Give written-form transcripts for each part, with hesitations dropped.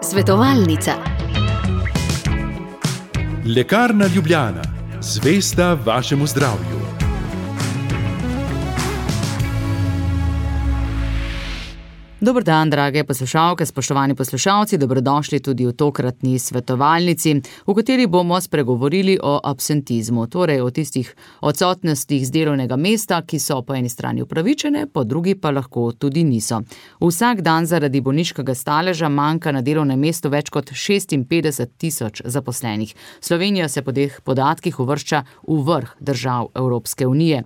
Svetovalnica. Lekarna Ljubljana, zvesta vašemu zdravju. Dober dan, drage poslušalke, spoštovani poslušalci, dobrodošli tudi v tokratni svetovalnici, v kateri bomo spregovorili o absentizmu, torej o tistih odsotnostih z delovnega mesta, ki so po eni strani upravičene, po drugi pa lahko tudi niso. Vsak dan zaradi bolniškega staleža manjka na delovnem mestu več kot 56,000 zaposlenih. Slovenija se po teh podatkih uvršča v vrh držav Evropske unije.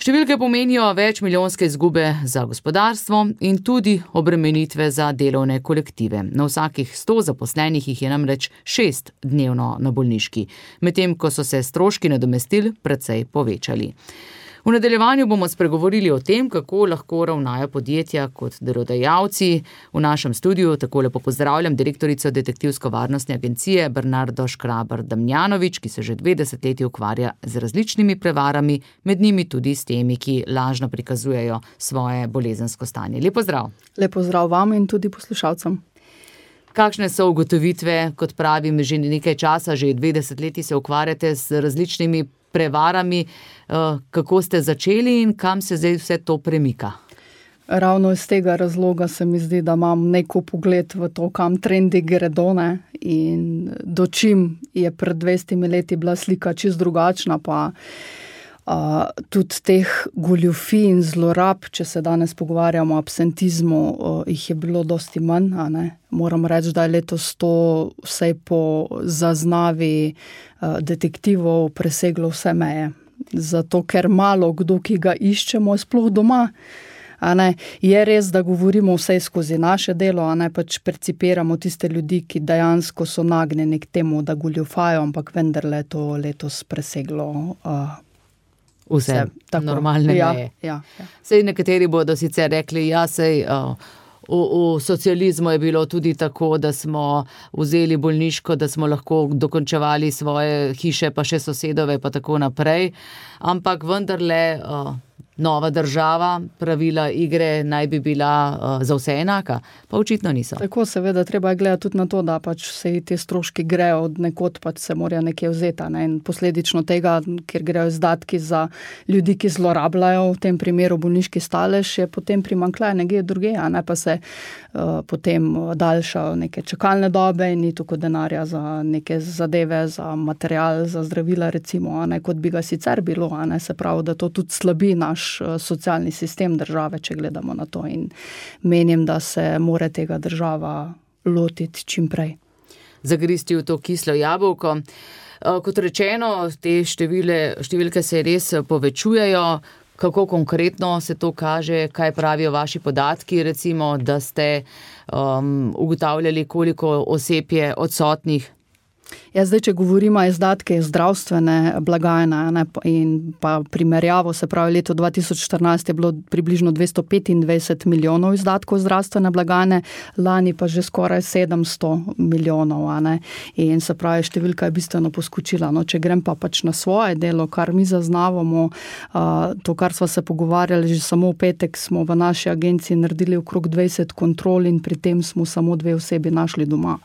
Številke pomenijo večmilijonske izgube za gospodarstvo in tudi obremenitve za delovne kolektive. Na vsakih 100 zaposlenih jih je namreč 6 dnevno na bolniški, medtem ko so se stroški nadomestil precej povečali. V nadaljevanju bomo spregovorili o tem, kako lahko ravnajo podjetja kot delodajalci. V našem studiu tako lepo pozdravljam direktorico Detektivsko-varnostne agencije Bernardo Škrabar-Damjanović, ki se že 2 desetletji ukvarja z različnimi prevarami, med njimi tudi s temi, ki lažno prikazujejo svoje bolezensko stanje. Lep pozdrav. Lep pozdrav vam in tudi poslušalcem. Kakšne so ugotovitve, kot pravim, že nekaj časa, že 2 desetletji se ukvarjate z različnimi prevarami, kako ste začeli in kam se zdaj vse to premika? Ravno iz tega razloga se mi zdi, da imam neko pogled v to, kam trendi gredo, in do čim je pred 200 leti bila slika čisto drugačna, pa tudi teh goljufij in zlorab, če se danes pogovarjamo o absentizmu, jih je bilo dosti manj, Moram reči, da je letos to vsaj po zaznavi detektivov preseglo vse meje. Zato, ker malo kdo, ki ga iščemo, je sploh doma. Je res, da govorimo vse skozi naše delo, pač percipiramo tiste ljudi, ki dejansko so nagnjeni k temu, da goljufajo, ampak vendarle je to letos preseglo vse normalne meje. Ja. Sej nekateri bodo sicer rekli, v socializmu je bilo tudi tako, da smo vzeli bolniško, da smo lahko dokončevali svoje hiše, pa še sosedove, pa tako naprej. Ampak vendarle nova država, pravila igre naj bi bila za vse enaka, pa očitno niso. Tako, seveda, treba je gledati tudi na to, da pač vse te stroški grejo od nekod, pač se morajo nekje vzeti. In posledično tega, ker grejo izdatki za ljudi, ki zlorabljajo, v tem primeru bolniški stalež, je potem primanjkljaj nekje drugje, pa se potem daljšajo neke čakalne dobe in ni toliko denarja za neke zadeve, za material, za zdravila recimo, kot bi ga sicer bilo, se pravi, da to tudi slabi naš socialni sistem države, če gledamo na to, in menim, da se mora tega država lotiti čim prej. Zagristi v to kislo jabolko. Kot rečeno, te številke se res povečujejo. Kako konkretno se to kaže, kaj pravijo vaši podatki, recimo, da ste ugotavljali, koliko oseb je odsotnih? Zdaj, če govorimo izdatke zdravstvene blagajne in pa primerjavo, se pravi, leto 2014 je bilo približno 225 milijonov izdatkov zdravstvene blagajne, lani pa že skoraj 700 milijonov, In se pravi, številka je bistveno poskočila. Če grem pa pač na svoje delo, kar mi zaznavamo, to, kar sva se pogovarjali, že samo v petek smo v naši agenciji naredili okrog 20 kontrol in pri tem smo samo 2 osebi našli doma.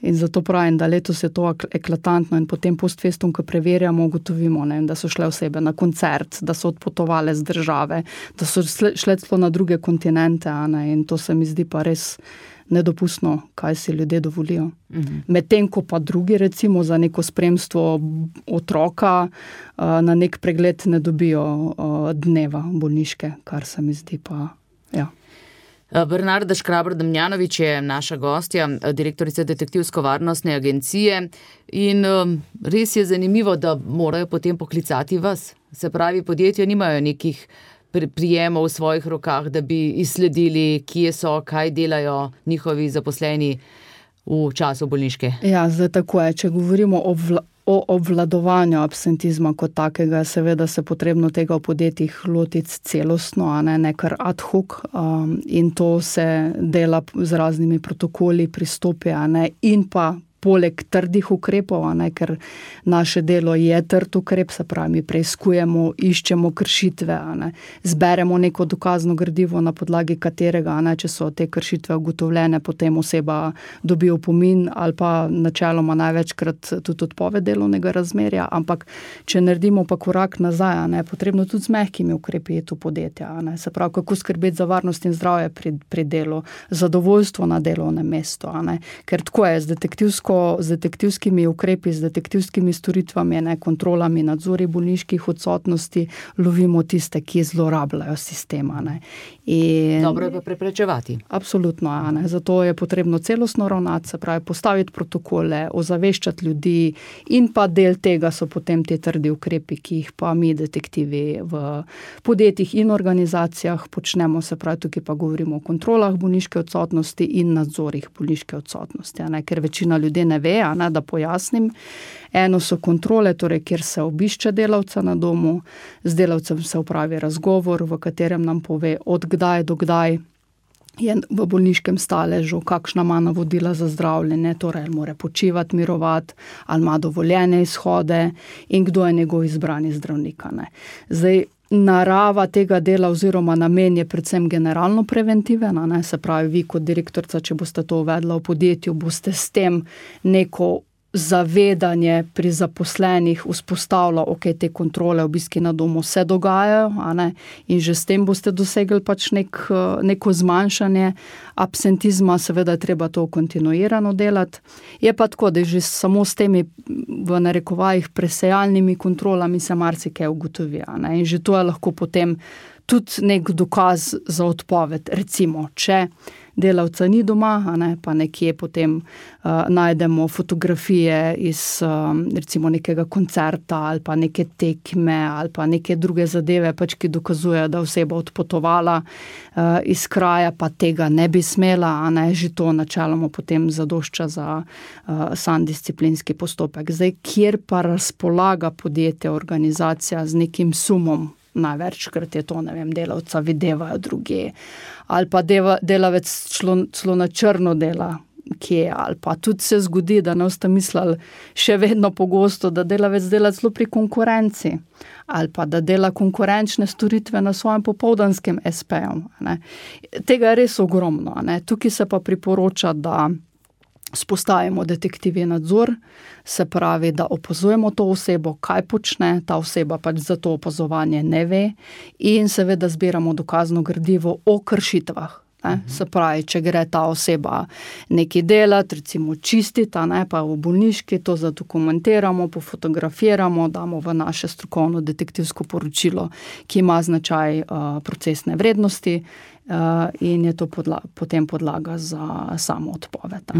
In zato pravim, da letos je to eklatantno in potem post festum, ko preverjamo, ugotovimo, da so šle osebe na koncert, da so odpotovale z države, da so šle celo na druge kontinente, in to se mi zdi pa res nedopustno, kaj si ljudje dovolijo. Medtem ko pa drugi, recimo za neko spremstvo otroka, na nek pregled ne dobijo dneva bolniške, kar se mi zdi pa, Bernarda Škrabar-Damjanović je naša gostja, direktorica Detektivsko-varnostne agencije, in res je zanimivo, da morajo potem poklicati vas. Se pravi, podjetja nimajo nekih prijemov v svojih rokah, da bi izsledili, kje so, kaj delajo njihovi zaposleni v času bolniške. Zdaj tako je, če govorimo o obvladovanju absentizma kot takega, seveda se potrebno tega v podjetjih lotiti celostno, ne kar ad hoc, in to se dela z raznimi protokoli, pristopi, in pa poleg trdih ukrepov, ker naše delo je trd ukrep, se pravi, mi preiskujemo, iščemo kršitve, zberemo neko dokazno gradivo, na podlagi katerega, če so te kršitve ugotovljene, potem oseba dobi opomin ali pa načeloma največkrat tudi odpoved delovnega razmerja, ampak če naredimo pa korak nazaj, potrebno tudi z mehkimi ukrepi je to podjetje, se pravi, kako skrbeti za varnost in zdravje pri delu, zadovoljstvo na delovnem mestu, ker tako je z detektivskimi ukrepi, z detektivskimi storitvami, kontrolami, nadzori bolniških odsotnosti, lovimo tiste, ki zlorabljajo sistema. Dobro je pa preprečevati. Absolutno, zato je potrebno celostno ravnati, se pravi, postaviti protokole, ozaveščati ljudi in pa del tega so potem te trdi ukrepi, ki jih pa mi detektivi v podjetjih in organizacijah počnemo, se pravi, tukaj pa govorimo o kontrolah bolniške odsotnosti in nadzorih bolniške odsotnosti, ker večina ljudi ne ve, da pojasnim. Eno so kontrole, torej, kjer se obišče delavca na domu, z delavcem se opravi razgovor, v katerem nam pove od kdaj do kdaj je v bolniškem staležu, kakšna ima navodila za zdravljenje, torej ali mora počivati, mirovati, ali ima dovoljene izhode in kdo je njegov izbrani zdravnik. Zdaj, narava tega dela oziroma namen je predvsem generalno preventiven, se pravi, vi kot direktorica, če boste to uvedla v podjetju, boste s tem neko zavedanje pri zaposlenih vzpostavlja, te kontrole, obiski na domu se dogajajo, in že s tem boste dosegli pač neko zmanjšanje absentizma, seveda je treba to kontinuirano delati. Je pa tako, da že samo s temi v narekovajih presejalnimi kontrolami se marsikaj ugotovi, in že to je lahko potem tudi nek dokaz za odpoved. Recimo, če delavca ni doma, pa nekje potem najdemo fotografije iz recimo nekega koncerta ali pa neke tekme ali pa neke druge zadeve, pač ki dokazujejo, da oseba odpotovala iz kraja, pa tega ne bi smela, že to načeloma potem zadošča za sam disciplinski postopek. Zdaj, kjer pa razpolaga podjetje, organizacija z nekim sumom, največkrat je to, delavca videvajo druge, ali pa delavec celo na črno dela, kje, ali pa tudi se zgodi, da ne boste mislili še vedno pogosto, da delavec dela celo pri konkurenci, ali pa da dela konkurenčne storitve na svojem popoldanskem SP-ju. Tega je res ogromno. Tukaj se pa priporoča, da spostavimo detektivni nadzor, se pravi, da opazujemo to osebo, kaj počne, ta oseba pač za to opazovanje ne ve in seveda zbiramo dokazno gradivo o kršitvah. Se pravi, če gre ta oseba nekaj delati, recimo čistiti, pa v bolniški, to zadokumentiramo, pofotografiramo, damo v naše strokovno detektivsko poročilo, ki ima značaj procesne vrednosti, in je to potem podlaga za samo odpoved.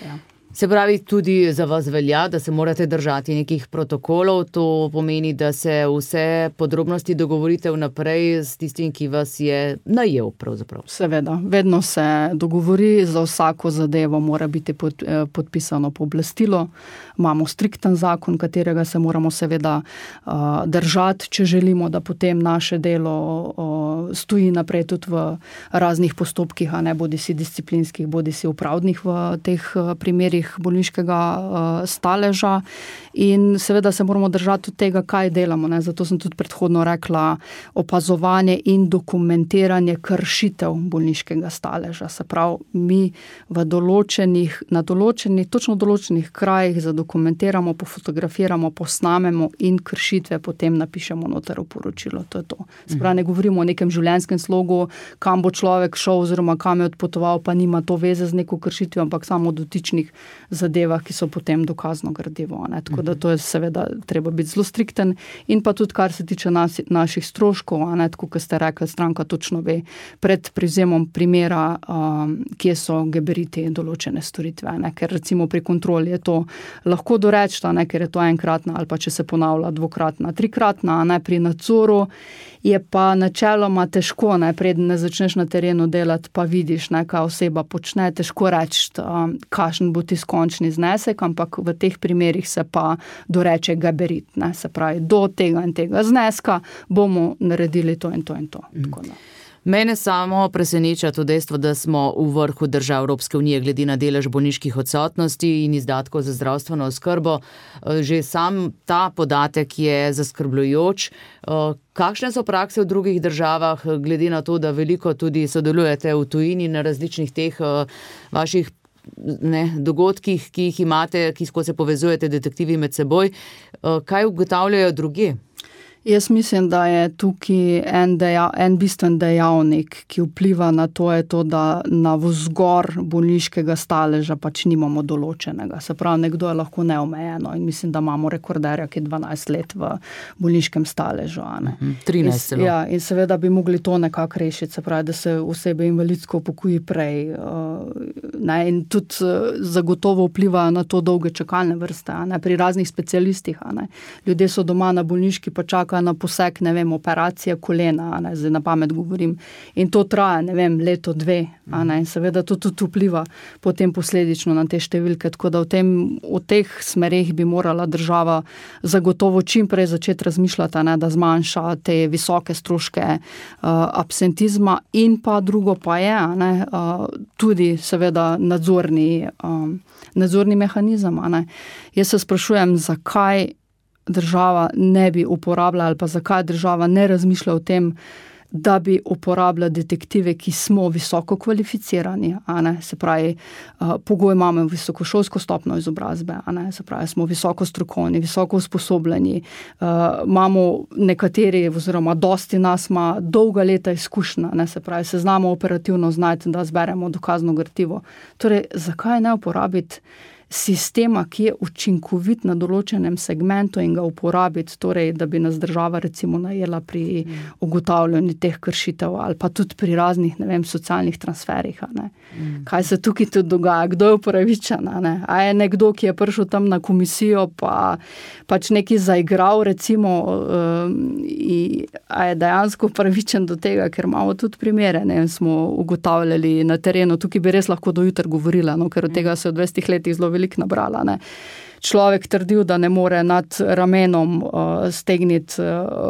Ja. Se pravi, tudi za vas velja, da se morate držati nekih protokolov, to pomeni, da se vse podrobnosti dogovorite vnaprej s tistim, ki vas je najel pravzaprav. Seveda, vedno se dogovori, za vsako zadevo mora biti podpisano pooblastilo, imamo strikten zakon, katerega se moramo seveda držati, če želimo, da potem naše delo stoji naprej tudi v raznih postopkih, bodi si disciplinskih, bodi si upravnih v teh primerih bolniškega staleža in seveda se moramo držati od tega, kaj delamo. Zato sem tudi predhodno rekla opazovanje in dokumentiranje kršitev bolniškega staleža. Se pravi, mi na točno določenih krajih zadokumentiramo, pofotografiramo, posnamemo in kršitve potem napišemo noter v poročilo. To je to. Se pravi, ne govorimo o nekem življenjskem slogu, kam bo človek šel oziroma kam je odpotoval, pa nima to veze z neko kršitvijo, ampak samo dotičnih zadevah, ki so potem dokazno gradivo. Tako da to je seveda treba biti zelo strikten in pa tudi, kar se tiče naših stroškov, tako kot ste rekli, stranka točno ve pred privzemom primera, kje so gabariti določene storitve. Ker recimo pri kontroli je to lahko doreči, ker je to enkratna ali pa če se ponavlja dvokratna, trikratna, pri nadzoru je pa načeloma težko, preden ne začneš na terenu delati, pa vidiš, kaj oseba počne, težko reči, kakšen bo tisti končni znesek, ampak v teh primerih se pa doreče gabarit, se pravi, do tega in tega zneska bomo naredili to in to in to. Mene samo preseneča to dejstvo, da smo v vrhu držav Evropske unije glede na delež bolniških odsotnosti in izdatkov za zdravstveno oskrbo. Že sam ta podatek je zaskrbljujoč. Kakšne so prakse v drugih državah, glede na to, da veliko tudi sodelujete v tujini na različnih teh vaših dogodkih, ki jih imate, ko se povezujete detektivi med seboj. Kaj ugotavljajo drugje? Jaz mislim, da je tukaj en bistven dejavnik, ki vpliva na to, je to, da na vzgor bolniškega staleža pač nimamo določenega. Se pravi, nekdo je lahko neomejeno in mislim, da imamo rekorderja, ki je 12 let v bolniškem staležu. 13 celo. Ja, in seveda bi mogli to nekako rešiti, se pravi, da se osebe invalidsko upokoji prej. In tudi zagotovo vplivajo na to dolge čakalne vrste, pri raznih specialistih. Ljudje so doma na bolniški pa čakajo na poseg, operacija kolena, zdaj na pamet govorim. In to traja, leto, dve. In seveda to tudi vpliva potem posledično na te številke. Tako da v teh smereh bi morala država zagotovo čim prej začeti razmišljati, da zmanjša te visoke stroške absentizma. In pa drugo pa je, tudi seveda nadzorni mehanizem. Jaz se sprašujem, zakaj država ne bi uporabljala ali pa zakaj država ne razmišlja o tem, da bi uporabljala detektive, ki smo visoko kvalificirani. Se pravi, pogoj imamo visokošolsko stopnjo izobrazbe, se pravi, smo visoko strokovni, visoko usposobljeni, imamo nekateri, oziroma dosti nas ima dolga leta izkušnja, se pravi, se znamo operativno znati, da zberemo dokazno gradivo. Torej, zakaj ne uporabiti sistema, ki je učinkovit na določenem segmentu in ga uporabiti, torej, da bi nas država recimo najela pri ugotavljanju teh kršitev ali pa tudi pri raznih, socialnih transferih. Kaj se tukaj tudi dogaja, kdo je upravičen? A je nekdo, ki je prišel tam na komisijo pa pač nekaj zaigral recimo, a je dejansko upravičen do tega, ker imamo tudi primere, smo ugotavljali na terenu, tukaj bi res lahko do jutra govorila, ker od tega se v 20 letih zelo veliko nabrala. Človek trdil, da ne more nad ramenom stegniti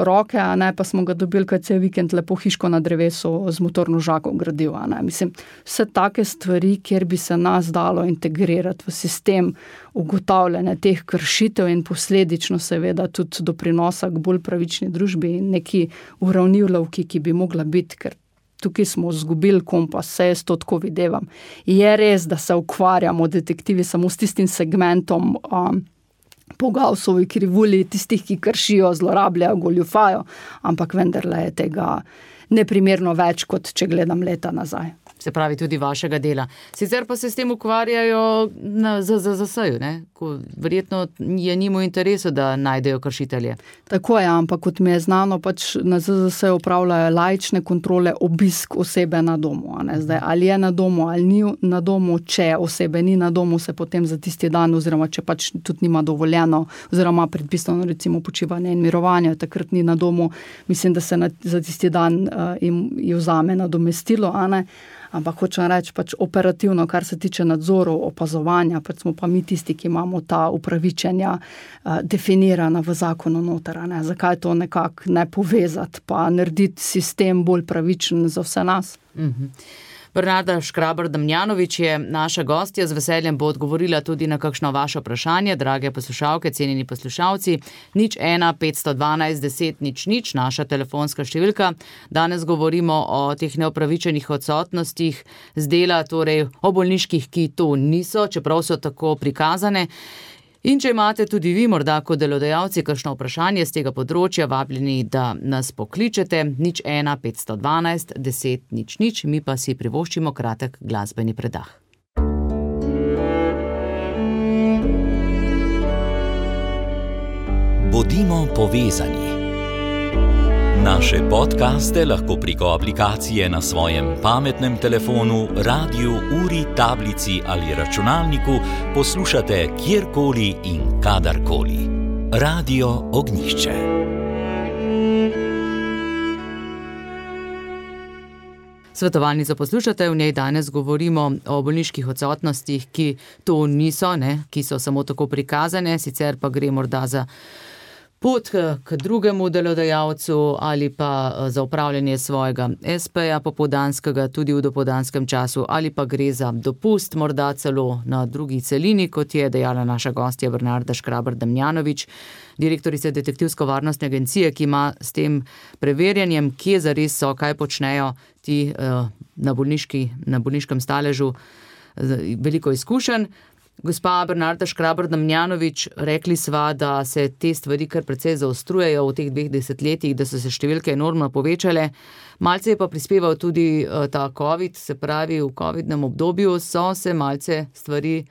roke, pa smo ga dobili, kad cel vikend lepo hiško na drevesu z motorno žago gradil. Mislim, vse take stvari, kjer bi se nas dalo integrirati v sistem ugotavljanja teh kršitev in posledično seveda tudi doprinosa k bolj pravični družbi in neki uravnilovki, ki bi mogla biti, ker tukaj smo zgubili kompas, se jaz to tako videvam. Je res, da se ukvarjamo detektivi samo s tistim segmentom po Gaussovi krivulji, tistih, ki kršijo, zlorabljajo, goljufajo, ampak vendarle je tega neprimerno več, kot če gledam leta nazaj. Se pravi tudi vašega dela. Sicer pa se s tem ukvarjajo na ZZZS-ju, verjetno je njim v interesu, da najdejo kršitelje. Tako je, ampak kot mi je znano, pač na ZZZS-ju upravljajo laične kontrole, obisk osebe na domu. Zdaj, ali je na domu, ali ni na domu, če osebe ni na domu, se potem za tisti dan, oziroma če pač tudi nima dovoljeno, oziroma predpisano recimo počivanje in mirovanje, takrat ni na domu, mislim, da se za tisti dan jim vzame nadomestilo, Ampak hočem reči, pač operativno, kar se tiče nadzorov, opazovanja, pač smo pa mi tisti, ki imamo ta upravičenja definirana v zakonu noter. Zakaj to nekako ne povezati, pa narediti sistem bolj pravičen za vse nas? Bernarda Škrabar-Damjanovič je naša gostja, z veseljem bo odgovorila tudi na kakšno vaše vprašanje, drage poslušalke, cenjeni poslušalci. 01 512 10 00, naša telefonska številka. Danes govorimo o teh neopravičenih odsotnostih z dela, torej o bolniških, ki to niso, čeprav so tako prikazane. In če imate tudi vi morda kot delodajalci kakšno vprašanje z tega področja, vabljeni, da nas pokličete 01 512 10 00, mi pa si privoščimo kratek glasbeni predah. Bodimo povezani. Naše podcaste lahko preko aplikacije na svojem pametnem telefonu, radiu, uri, tablici ali računalniku poslušate kjerkoli in kadarkoli. Radio Ognjišče. Svetovalnico poslušate, v njej danes govorimo o bolniških odsotnostih, ki to niso, ki so samo tako prikazane, sicer pa gre morda za pot k drugemu delodajalcu ali pa za upravljanje svojega SP-ja popoldanskega tudi v dopoldanskem času ali pa gre za dopust, morda celo na drugi celini, kot je dejala naša gostja Bernarda Škrabar-Damjanovič, direktorica detektivsko-varnostne agencije, ki ima s tem preverjanjem, kje zares so, kaj počnejo ti na bolniškem staležu, veliko izkušenj. Gospa Bernarda Škrabar-Damjanovič, rekli sva, da se te stvari kar precej zaostrujejo v teh 2 desetletjih, da so se številke enormno povečale. Malce je pa prispeval tudi ta COVID, se pravi v covidnem obdobju so se malce stvari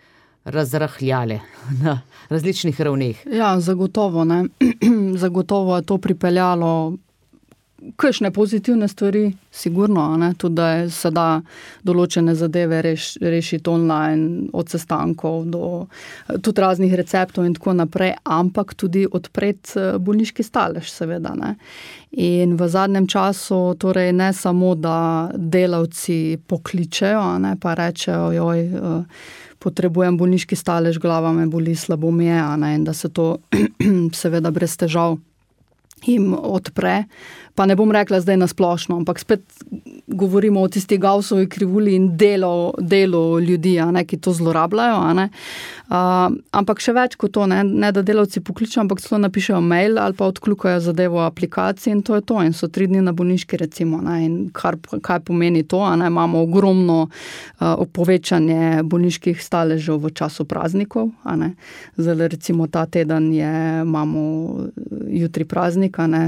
razrahljale na različnih ravneh. Ja, zagotovo, ne. Zagotovo je to pripeljalo kakšne pozitivne stvari, sigurno, ne, tudi da se da določene zadeve rešiti online, od sestankov do tudi raznih receptov in tako naprej, ampak tudi odpreti bolniški stalež, seveda, ne. In v zadnjem času, torej ne samo, da delavci pokličejo, ne, pa rečejo, potrebujem bolniški stalež, glava me boli, slabo mi je, ne, in da se to seveda brez težav jim odpre. Pa ne bom rekla zdaj na splošno, ampak spet govorimo o tisti Gaussovi krivulji in delu ljudi, ne, ki to zlorabljajo. Ne. Ampak še več kot to, ne da delavci pokličejo, ampak celo napišejo mail ali pa odkljukajo zadevo v aplikaciji in to je to. In so 3 dni na bolniški, recimo. Ne. In kaj pomeni to? Ne. Imamo ogromno povečanje bolniških staležev v času praznikov. Ne. Zdaj, recimo ta teden imamo jutri praznik, ne.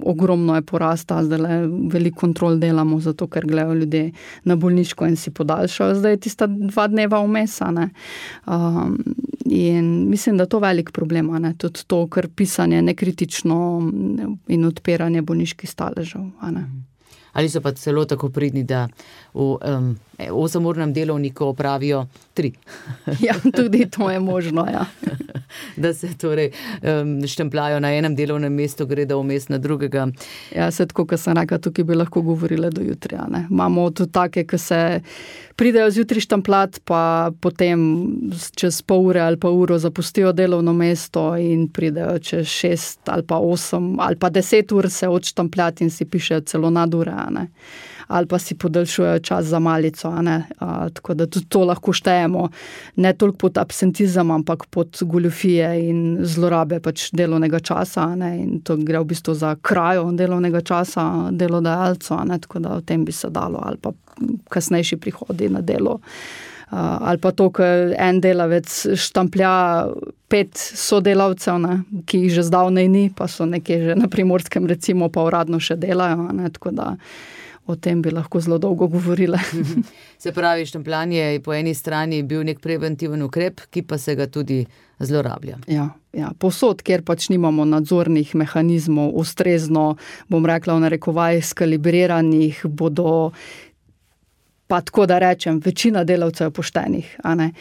Ogromno je porasta, zdaj veliko kontrol delamo, zato ker gledajo ljudje na bolniško in si podaljšajo. Zdaj je tista 2 dneva vmes, ne. In mislim, da to velik problem, ne. Tudi to, ker pisanje nekritično in odpiranje bolniških staležev, ne. Ali so pa celo tako pridni, da v 8-urnem delovniku opravijo 3. Ja, tudi to je možno, ja. Da se torej štempljajo na enem delovnem mestu, gredo vmes na drugega. Ja, se tako, kot sem rekla, tukaj bi lahko govorila do jutri, ne. Imamo tudi take, ki se pridejo zjutraj štempljati, pa potem čez pol ure ali pa uro zapustijo delovno mesto in pridejo čez 6 ali pa 8 ali pa 10 ur se odštempljati in si pišejo celo nadure, ne. Ali pa si podaljšujejo čas za malico, ne. Tako da tudi to lahko štejemo, ne toliko pod absentizem, ampak pod goljufije in zlorabe pač delovnega časa, ne. In to gre v bistvu za krajo delovnega časa delodajalcu, ne. Tako da o tem bi se dalo, ali pa kasnejši prihodi na delo. Ali pa to, ker en delavec štamplja 5 sodelavcev, ne, ki jih že zdavnej ni, pa so nekje že na Primorskem recimo, pa uradno še delajo, ne, tako da o tem bi lahko zelo dolgo govorila. Se pravi, štempljanje je po eni strani bil nek preventiven ukrep, ki pa se ga tudi zlorablja. Ja, povsod, kjer pač nimamo nadzornih mehanizmov, ustrezno, bom rekla v narekovajih, skalibriranih, bodo pa tako da rečem, večina delavcev poštenih, a ne.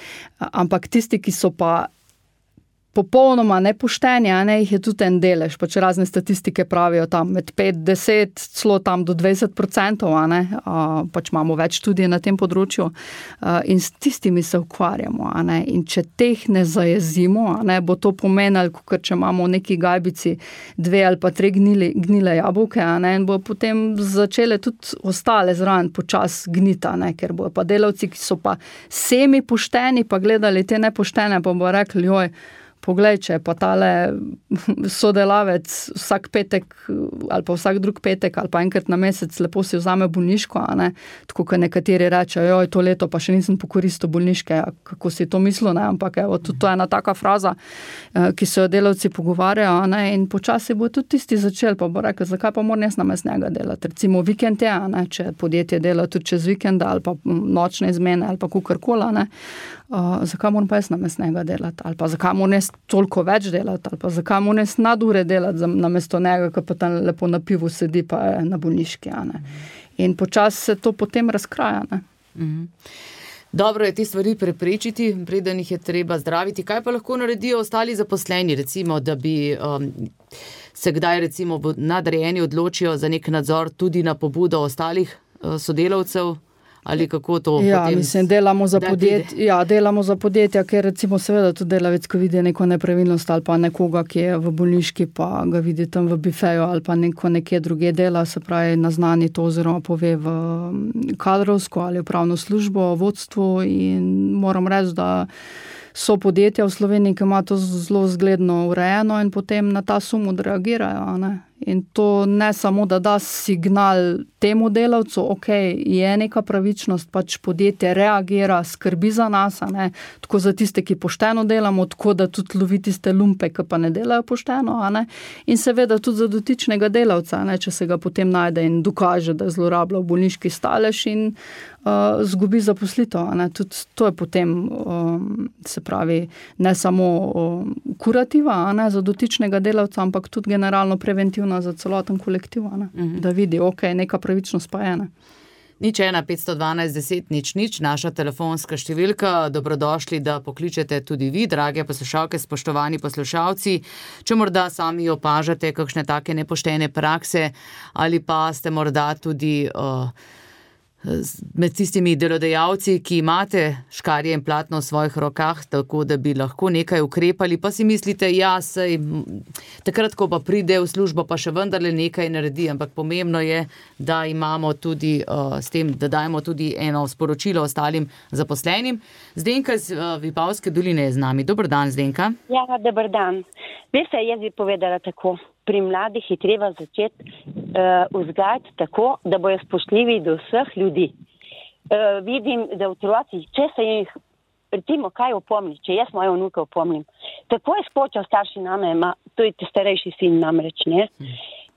Ampak tisti, ki so pa popolnoma nepošteni, a ne, jih je tudi en delež, pač razne statistike pravijo tam med 5, 10, celo tam do 20%, a ne, pač imamo več študij na tem področju in s tistimi se ukvarjamo, a ne, in če teh ne zajezimo, a ne, bo to pomenilo, ker če imamo v neki gajbici 2 ali pa 3 gnile jabolke, a ne, in bo potem začele tudi ostale zraven počas gnita, ne, ker bojo pa delavci, ki so pa semi pošteni, pa gledali te nepoštene, pa bo rekli, poglej, če pa tale sodelavec vsak petek ali pa vsak drug petek ali pa enkrat na mesec lepo si vzame bolniško, a ne, tako kot nekateri rečejo, to leto pa še nisem pokoristil bolniške, kako si to mislil, ne, ampak tudi to je ena taka fraza, ki se jo delavci pogovarjajo, a ne, in počasi bo tudi tisti začel, pa bo rekel, zakaj pa moram jaz namesto njega delati, recimo vikend je, a ne, če podjetje dela tudi čez vikenda ali pa nočne izmene ali pa kakorkoli, ne, zakaj moram pa jaz namesto njega delati, ali pa zakaj moram jaz toliko več delati, ali pa zakaj moram jaz nadure delati namesto njega, ki pa tam lepo na pivu sedi pa je na bolniški, a ne. In počasi se to potem razkraja, ne. Dobro je te stvari preprečiti, preden jih je treba zdraviti. Kaj pa lahko naredijo ostali zaposleni, recimo, da bi se kdaj recimo nadrejeni odločijo za nek nadzor tudi na pobudo ostalih sodelavcev? ali kako to potem... Mislim, delamo za podjetja, ker recimo seveda tudi delavec, ko vidi neko nepravilnost ali pa nekoga, ki je v bolniški, pa ga vidi tam v bifeju ali pa nekje druge dela, se pravi naznani to oziroma pove v kadrovsko ali upravno službo, vodstvu in moram reči, da so podjetja v Sloveniji, ki ima to zelo zgledno urejeno in potem na ta sum odreagirajo, ne? In to ne samo, da da signal temu delavcu, ok, je neka pravičnost, pač podjetje reagira, skrbi za nas, ne? Tako za tiste, ki pošteno delamo, tako da tudi lovi tiste lumpe, ki pa ne delajo pošteno, ne? In seveda tudi za dotičnega delavca, ne? Če se ga potem najde in dokaže, da je zlorabljal bolniški stalež in zgubi zaposlitev, ne? Tudi to je potem, se pravi, ne samo kurativa, ne? Za dotičnega delavca, ampak tudi generalno preventivna za celoten kolektiv, da vidi, ok, neka pravičnost pa je. 01512 10 00, naša telefonska številka. Dobrodošli, da pokličete tudi vi, drage poslušalke, spoštovani poslušalci. Če morda sami opažate kakšne take nepoštene prakse ali pa ste morda tudi med tistimi delodajalci, ki imate škarje in platno v svojih rokah, tako da bi lahko nekaj ukrepali, pa si mislite, ja, sej, takrat, ko pa pride v službo, pa še vendarle nekaj naredi, ampak pomembno je, da imamo tudi s tem, da dajemo tudi eno sporočilo ostalim zaposlenim. Zdenka iz Vipavske doline je z nami. Dober dan, Zdenka. Ja, dober dan. Veste, jaz bi povedala tako. Pri mladih je treba začeti vzgajati tako, da bojo spoštljivi do vseh ljudi. Vidim, da otroci, če se jih, recimo, kaj opomni, če jaz moje vnuke opomnim, tako je spočal starši name, to je starejši sin namreč, ne?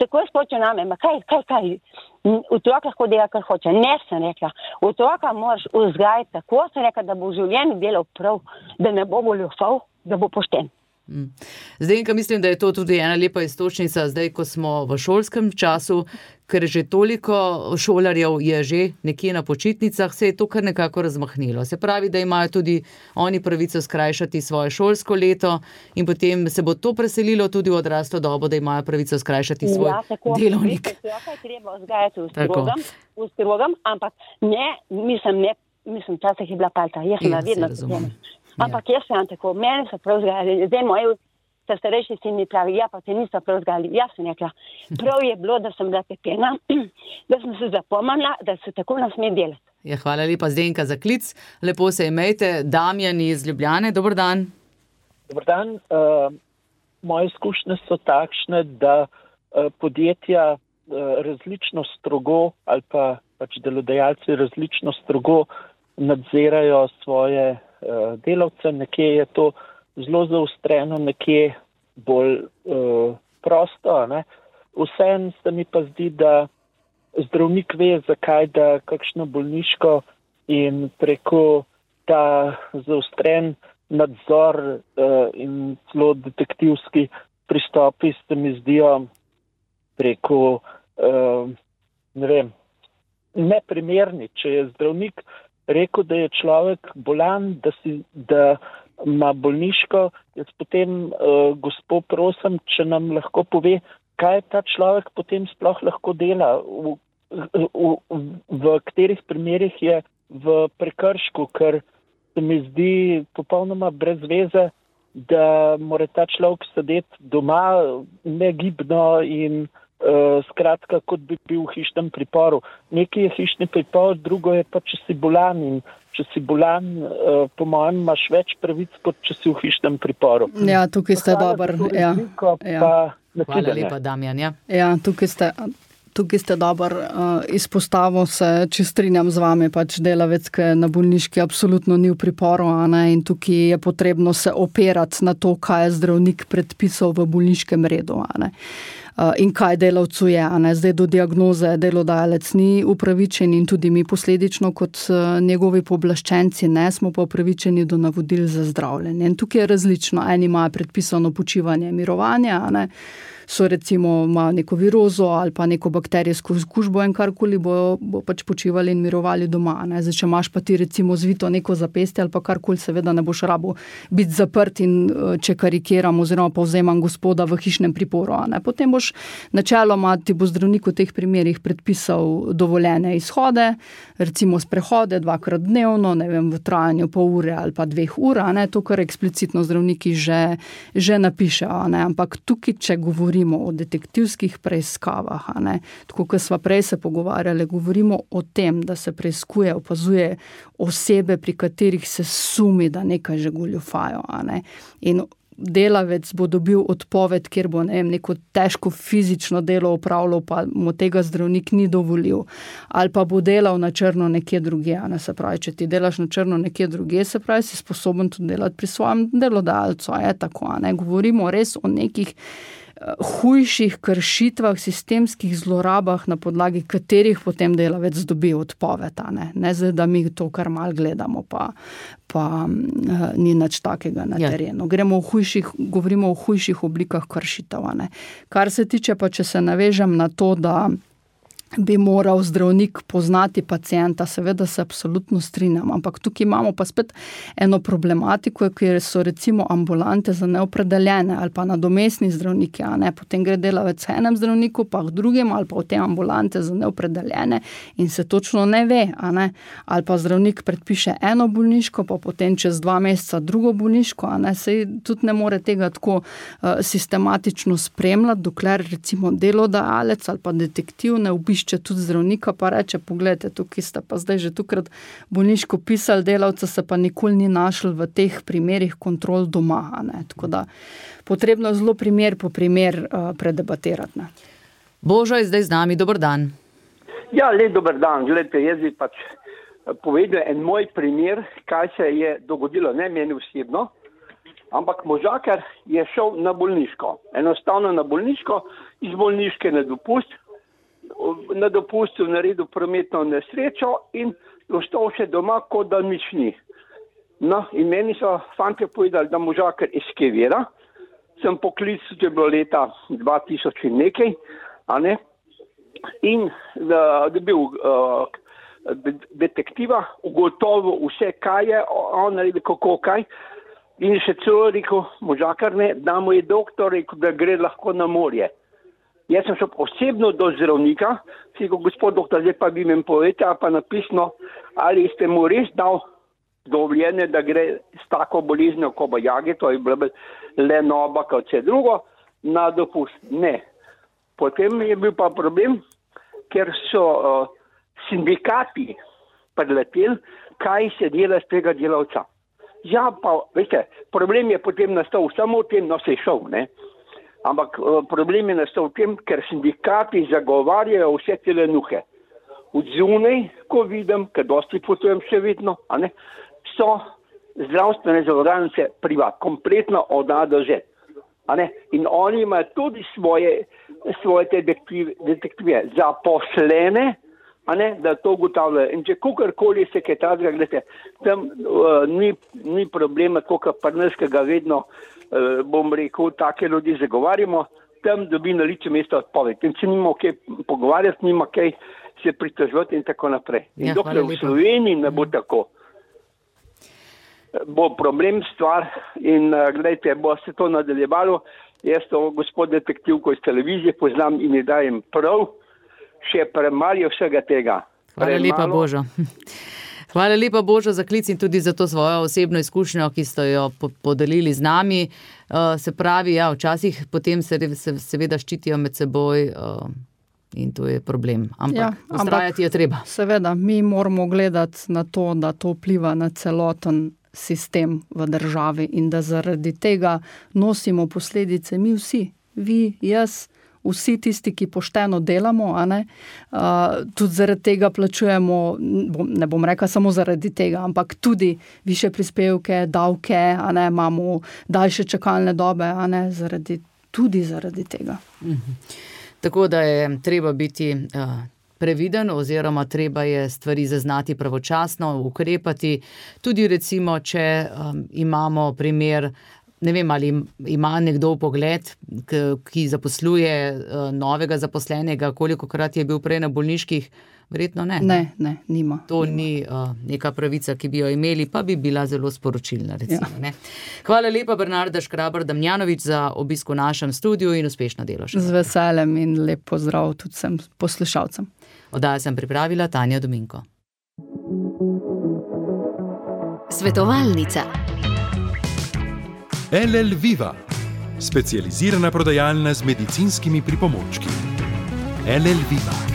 Tako je spočal name, kaj, otrok lahko dela, kar hoče. Ne, sem rekla, otroka moraš vzgajati tako, sem rekla, da bo v življenju delal prav, da ne bo goljufal, da bo pošten. Zdenka, mislim, da je to tudi ena lepa iztočnica zdaj, ko smo v šolskem času, ker že toliko šolarjev je že nekje na počitnicah, se je to kar nekako razmahnilo. Se pravi, da imajo tudi oni pravico skrajšati svoje šolsko leto in potem se bo to preselilo tudi v odraslo dobo, da imajo pravico skrajšati svoj delovnik. Ja, tako je treba vzgajati v strogam, ampak ne, mislim, časih je bila palta, jaz sem vedno razumem. Ampak jaz sem tako, mene so prav vzgajali, zdaj moji starejši sin mi pravi, ja, pa te niso prav vzgajali. Jaz sem rekla, prav je bilo, da sem bila pepena, da sem se zapomnila, da se tako ne sme delati. Ja, hvala lepa, Zdenka, za klic. Lepo se imejte. Damjan iz Ljubljane, dober dan. Dober dan. Moje izkušnje so takšne, da podjetja različno strogo ali pa pač delodajalci različno strogo nadzirajo svoje delavce, nekje je to zelo zaostreno, nekje bolj prosto, ne. Vseeno se mi pa zdi, da zdravnik ve, zakaj da kakšno bolniško in preko ta zaostren nadzor in celo detektivski pristopi se mi zdijo preko neprimerni. Če je zdravnik rekel, da je človek bolan, da ima bolniško, jaz potem gospod prosim, če nam lahko pove, kaj ta človek potem sploh lahko dela, v katerih primerih je v prekršku, ker se mi zdi popolnoma brez veze, da mora ta človek sedeti doma negibno in skratka, kot bi bil v hišnem priporu. Nekaj je hišni pripor, drugo je pa, če si bolan in če si bolan, po mojem, imaš več pravic, kot če si v hišnem priporu. Ja, tukaj ste dober. Ja. Hvala lepa, Damjan. Ja, tukaj ste dober izpostavil se, če strinjam z vami, pač delavec, ki na bolniški absolutno ni v priporu, in tukaj je potrebno se opirati na to, kaj je zdravnik predpisal v bolniškem redu, in kaj delavcu je. Zdaj do diagnoze delodajalec ni upravičen in tudi mi posledično kot njegovi pooblaščenci ne smo pa upravičeni do navodil za zdravljenje. In tukaj je različno. Eni imajo predpisano počivanje, mirovanje, so recimo ima neko virozo ali pa neko bakterijsko okužbo in karkoli bo pač počivali in mirovali doma. Zdaj, če imaš pa ti recimo zvito neko zapestje ali pa karkoli, seveda ne boš rabo biti zaprt in če karikiram oziroma povzemam gospoda v hišnem priporu. Potem boš boš. Načeloma ti bo zdravnik v teh primerih predpisal dovoljene izhode, recimo sprehode 2-krat dnevno, ne vem, v trajanju pol ure ali pa 2 ur, to, kar eksplicitno zdravniki že napišejo, ampak tukaj, če govorimo o detektivskih preiskavah, tako kot sva prej se pogovarjali, govorimo o tem, da se preiskuje, opazuje osebe, pri katerih se sumi, da nekaj že goljufajo, in delavec bo dobil odpoved, kjer bo neko težko fizično delo opravljal, pa mu tega zdravnik ni dovolil, ali pa bo delal na črno nekje drugje, se pravi, če ti delaš na črno nekje drugje, se pravi, si sposoben tudi delati pri svojem delodajalcu, tako, govorimo res o nekih hujših kršitvah, sistemskih zlorabah, na podlagi katerih potem delavec dobi odpoved, ne zdaj, da mi to kar mal gledamo, pa ni nič takega na terenu. Govorimo o hujših oblikah kršitev, Kar se tiče pa, če se navežem na to, da bi moral zdravnik poznati pacienta, seveda se absolutno strinjam, ampak tukaj imamo pa spet eno problematiko, kjer so recimo ambulante za neopredeljene ali pa nadomestni zdravniki, potem gre delavec k enem zdravniku, pa k drugim, ali pa v te ambulante za neopredeljene in se točno ne ve, ali pa zdravnik predpiše eno bolniško, pa potem čez 2 meseca drugo bolniško, sej tudi ne more tega tako sistematično spremljati, dokler recimo delodajalec ali pa detektiv ne obišče tudi zdravnika, pa reče, pogledajte, tukaj ste pa zdaj že tukrat bolniško pisali, delavca se pa nikoli ni našel v teh primerih kontrol doma, tako da potrebno zelo primer po primer predebatirati. Božo je zdaj z nami, dober dan. Ja, dober dan, gledajte, jaz bi pač povedal en moj primer, kaj se je dogodilo, ne meni osebno, ampak možakar je šel na bolniško, enostavno na bolniško, iz bolniške na dopustu naredil prometno nesrečo in ostal še doma, kot da nič ni. No, in meni so fantje povedali, da možakar eskevira. Sem poklical, to je bilo leta 2000 in nekaj, in dobil detektiva, ugotovil vse, kaj je, on naredil kako kaj, in še celo rekel, možakar ne, da mu je doktor rekel, da gre lahko na morje. Jaz sem šel osebno do zdravnika, si rekel, gospod doktor, zdaj pa bi mi povedali, pa napisno, ali ste mu res dal dovoljenje, da gre s tako boleznjo kobajage, to je bilo lenoba, kot vse drugo, na dopust. Ne. Potem je bil pa problem, ker so sindikati predleteli, kaj se dela z tega delavca. Ja, pa, veste, problem je potem nastal samo v tem, no se je šel, ne. Ampak problem je nastal v tem, ker sindikati zagovarjajo vse te lenuhe. Od zunaj, ko vidim, ker dosti potujem še vedno, so zdravstvene zavarovalnice privat, kompletno od A do Z. In oni imajo tudi svoje detektive zaposlene, da to ugotavljajo. In če kakorkoli se kaj takega, gledajte, tam ni problema, koliko prneskega vedno, bom rekel, take ljudi zagovarjamo, tam dobi na lice mesta odpoved. In če nima kaj pogovarjati, nima kaj se pritoževati in tako naprej. In dokler v Sloveniji ne bo tako, bo problem stvar in gledajte, bo se to nadaljevalo. Jaz to gospod detektivko iz televizije poznam in ji dajem prav, še premalo je vsega tega. Hvala lepa, Božo. Hvala lepa, Božo, za klic in tudi za to svojo osebno izkušnjo, ki ste jo podelili z nami. Se pravi, ja, včasih potem se seveda ščitijo med seboj in to je problem. Ampak vztrajati je treba. Seveda, mi moramo gledati na to, da to vpliva na celoten sistem v državi in da zaradi tega nosimo posledice mi vsi, vi, jaz, vsi tisti, ki pošteno delamo, tudi zaradi tega plačujemo, ne bom rekla samo zaradi tega, ampak tudi više prispevke, davke, imamo daljše čakalne dobe, tudi zaradi tega. Tako da je treba biti previden oziroma treba je stvari zaznati pravočasno, ukrepati. Tudi recimo, če imamo primer Ne vem, ali ima nekdo pogled, ki zaposluje novega zaposlenega, kolikokrat je bil prej na bolniških, verjetno ne. Ne, nima. To ni neka pravica, ki bi jo imeli, pa bi bila zelo sporočilna, recimo. Ne? Hvala lepa, Bernarda Škrabar-Damjanović, za obisk v našem studiu in uspešno delo še. Z veseljem in lep pozdrav tudi vsem poslušalcem. Oddajo sem pripravila Tanja Dominko. Svetovalnica. LL Viva, specializirana prodajalna z medicinskimi pripomočki. LL Viva.